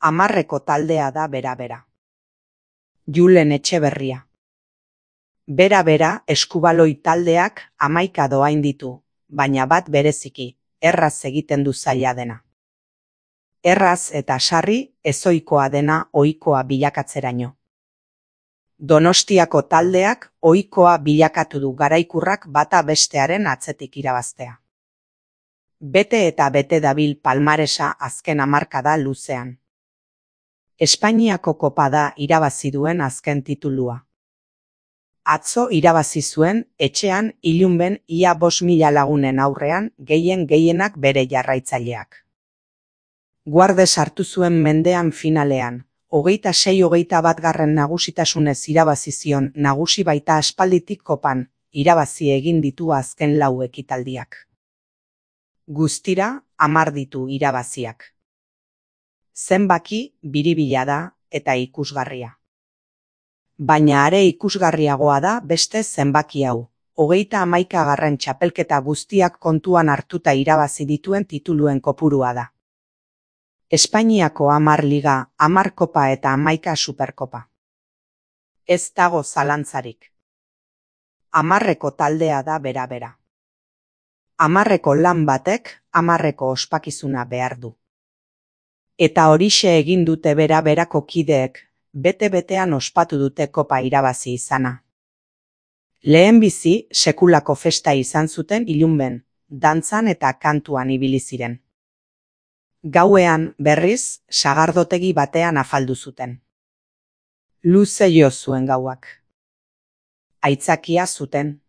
Hamarreko taldea da bera-bera. Julen Etxeberria. Bera-bera eskubaloi taldeak 11 dohain ditu, baina bat bereziki, erraz egiten du zaila dena. Erraz eta sarri ezohikoa dena ohikoa bilakatzeraino. Donostiako taldeak ohikoa bilakatu du garaikurrak bata bestearen atzetik irabaztea. Bete eta bete dabil palmaresa azken hamarkada luzean. Espainiako kopa da irabazi duen azken titulua. Atzo irabazi zuen etxean ilunben ia 5.000 lagunen aurrean gehienak bere jarraitzaileak. Guarde sartu zuen mendean finalean, 26-21 nagusitasunez irabazi zion nagusi baita aspalditik kopan, irabazi egin ditu azken 4 ekitaldiak. Guztira 10 ditu irabaziak. Zenbaki biribila da eta ikusgarria. Baina are ikusgarriagoa da beste zenbaki hau, 31. txapelketa guztiak kontuan hartuta irabazi dituen tituluen kopurua da. Espainiako 10 liga, 10 kopa eta 11 superkopa. Ez dago zalantzarik. Hamarreko taldea da bera-bera. Hamarreko lan batek 10 ospakizuna behar du. Eta horixe egin dute bera-berako kideek, bete-betean ospatu dute kopa irabazi izana. Lehenbizi sekulako festa izan zuten ilunben, dantzan eta kantuan ibili ziren. Gauean, berriz, sagardotegi batean afaldu zuten. Luze jo zuen gauak. Aitzakia zuten.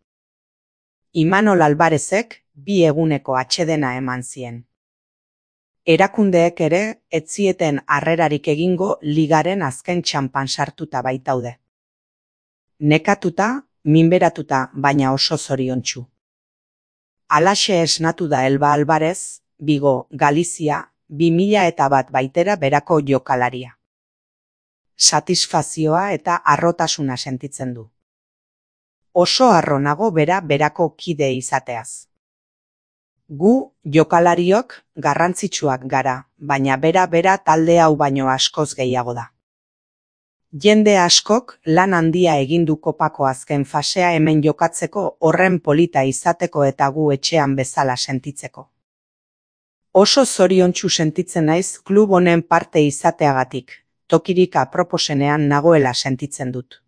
Imanol Alvarezek 2 eguneko atsedena eman zien. Erakundeek ere ez zieten harrerarik egingo ligaren azken txanpan sartuta baitaude. Nekatuta, minberatuta, baina oso zoriontsu. Halaxe esnatu da Elba Alvarez, Vigo, Galizia, 2001 baitera berako jokalaria. Satisfazioa eta harrotasuna sentitzen du. Oso harro nago berako kide izateaz. Gu, jokalariok, garrantzitsuak gara, baina bera talde hau baino askoz gehiago da. Jende askok lan handia egin du kopako azken fasea hemen jokatzeko horren polita izateko eta gu etxean bezala sentitzeko. Oso zoriontsu sentitzen naiz klub honen parte izateagatik, tokirik aproposenean nagoela sentitzen dut.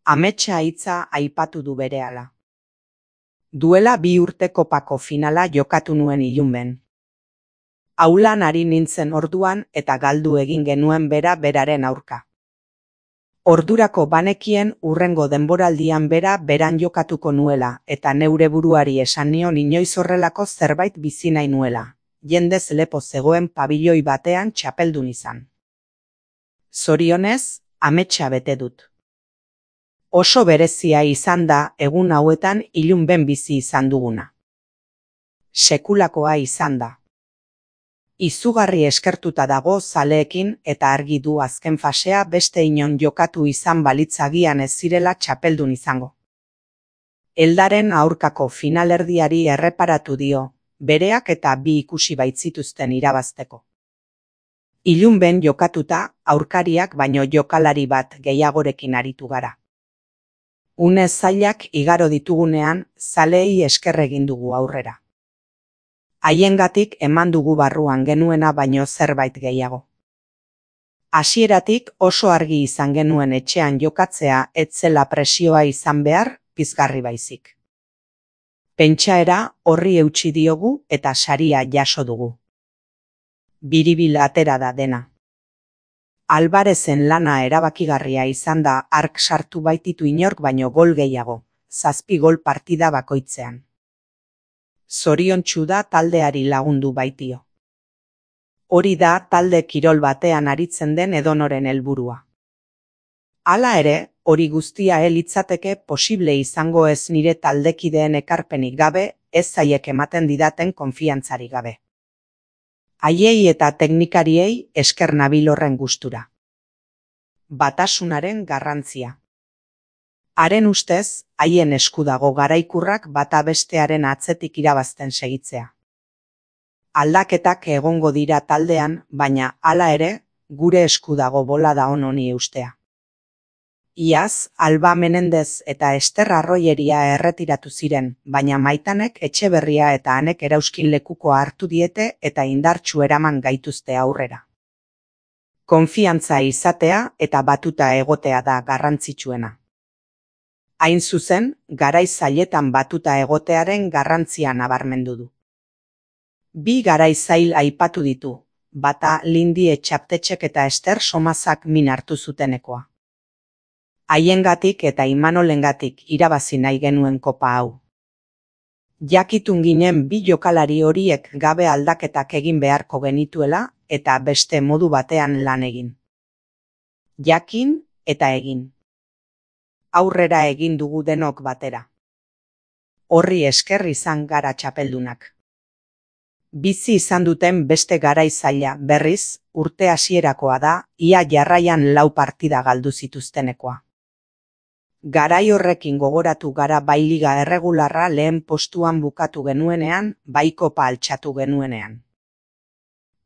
Ametsa hitza aipatu du berehala. Duela 2 urte kopako finala jokatu nuen ilunben. Aulan ari nintzen orduan eta galdu egin genuen beraren aurka. Ordurako banekien hurrengo denboraldian beran jokatuko nuela eta neure buruari esan nion inoiz horrelako zerbait bizi nahi nuela, jendez lepo zegoen pabiloi batean txapeldun izan. Zorionez, ametsa bete dut. Oso berezia izan da egun hauetan ilunben bizi izan duguna. Sekulakoa izan da. Izugarri eskertuta dago zaleekin eta argi du azken fasea beste inon jokatu izan balitzagian ez zirela txapeldun izango. Eldaren aurkako finalerdiari erreparatu dio, bereak eta 2 ikusi baitzituzten irabazteko. Ilunben jokatuta aurkariak baino jokalari bat gehiagorekin aritu gara. Une zailak igaro ditugunean, zaleei esker egin dugu aurrera. Haiengatik eman dugu barruan genuena baino zerbait gehiago. Hasieratik oso argi izan genuen etxean jokatzea ez zela presioa izan behar, pizgarri baizik. Pentsaera horri eutsi diogu eta saria jaso dugu. Biribil atera da dena. Alvarezen lana erabakigarria izan da ark sartu baititu inork baino gol gehiago, 7 gol partida bakoitzean. Zoriontsu da taldeari lagundu baitio. Hori da talde kirol batean aritzen den edonoren helburua. Hala ere, hori guztia litzateke posible izango ez nire taldekideen ekarpenik gabe, ez zaiek ematen didaten konfiantzarik gabe. Haiei eta teknikariei esker nabil horren gustura. Batasunaren garrantzia. Haren ustez, haien esku dago garaikurrak bata bestearen atzetik irabazten segitzea. Aldaketak egongo dira taldean, baina hala ere, gure esku dago bolada on honi eustea. Iaz, Alba Menendez eta Ester Arroyeria erretiratu ziren, baina Maitanek Etxeberria eta Anek Erauskin lekukoa hartu diete eta indartsu eraman gaituzte aurrera. Konfiantza izatea eta batuta egotea da garrantzitsuena. Hain zuzen, garai zailetan batuta egotearen garrantzia nabarmendu du. Bi garai zail aipatu ditu, bata Lindi Etxaptetxek eta Ester Somazak min hartu zutenekoa. Haiengatik eta Imanolengatik irabazi nahi genuen kopa hau. Jakitun ginen bi jokalari horiek gabe aldaketak egin beharko genituela eta beste modu batean lan egin. Jakin eta egin. Aurrera egin dugu denok batera. Horri esker izan gara txapeldunak. Bizi izan duten beste garai zaila berriz, urte hasierakoa da, ia jarraian 4 partida galdu zituztenekoa. Garai horrekin gogoratu gara bai liga erregularra lehen postuan bukatu genuenean, bai kopa altxatu genuenean.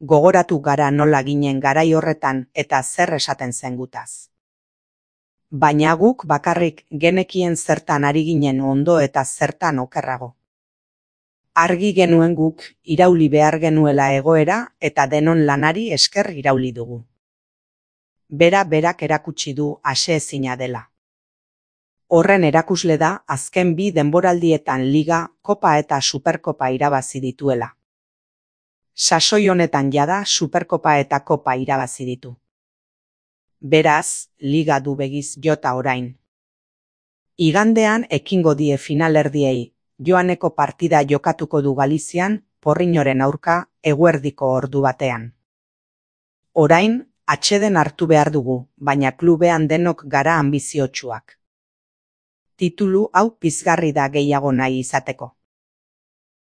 Gogoratu gara nola ginen garai horretan eta zer esaten zen gutaz. Baina guk bakarrik genekien zertan ari ginen ondo eta zertan okerrago. Argi genuen guk irauli behar genuela egoera eta denon lanari esker irauli dugu. Berak erakutsi du aseezina dela. Horren erakusle da azken 2 denboraldietan liga, kopa eta superkopa irabazi dituela. Sasoi honetan jada superkopa eta kopa irabazi ditu. Beraz, liga du begiz jota orain. Igandean ekingo die finalerdiei, joaneko partida jokatuko du Galizian, Porriñoren aurka, eguerdiko ordu batean. Orain, atseden hartu behar dugu, baina klubean denok gara anbiziotsuak. Titulu hau pizgarri da gehiago nahi izateko.